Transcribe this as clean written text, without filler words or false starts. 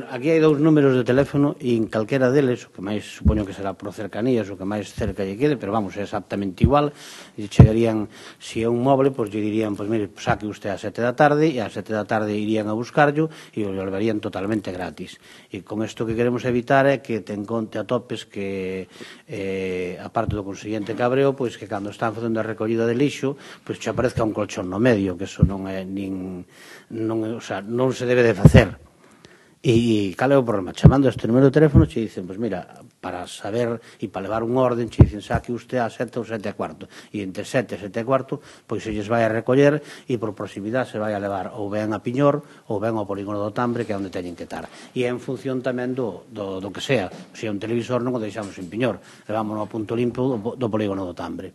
aquí hai 2 números de teléfono e en calquera deles, o que máis supoño que será por cercanías, o que máis cerca lle quede, pero vamos, é exactamente igual, e chegarían, se é un móvil, pois lle dirían, pois mire, saque usted a 7 da tarde, e a 7 da tarde irían a buscarlo e o levarían totalmente gratis. E con isto que queremos evitar é que te encontre a topes que, aparte do consiguiente cabreo, pois que cando están facendo a recollida de lixo, pois che aparezca un colchón no medio, que eso non é non se debe de facer. E cal é o problema? Chamando a este número de teléfono che dicen, pois mira, para saber e para levar un orden che dicen saque usted a 7 ou 7 e cuarto e entre 7 e 7 e cuarto pois se lles vai a recoller e por proximidade se vai a levar ou ben a Piñor ou ben ao polígono do Tambre, que é onde teñen que estar, e en función tamén do que sea. Se é un televisor non o deixamos en Piñor, levámonos ao punto limpo do polígono do Tambre.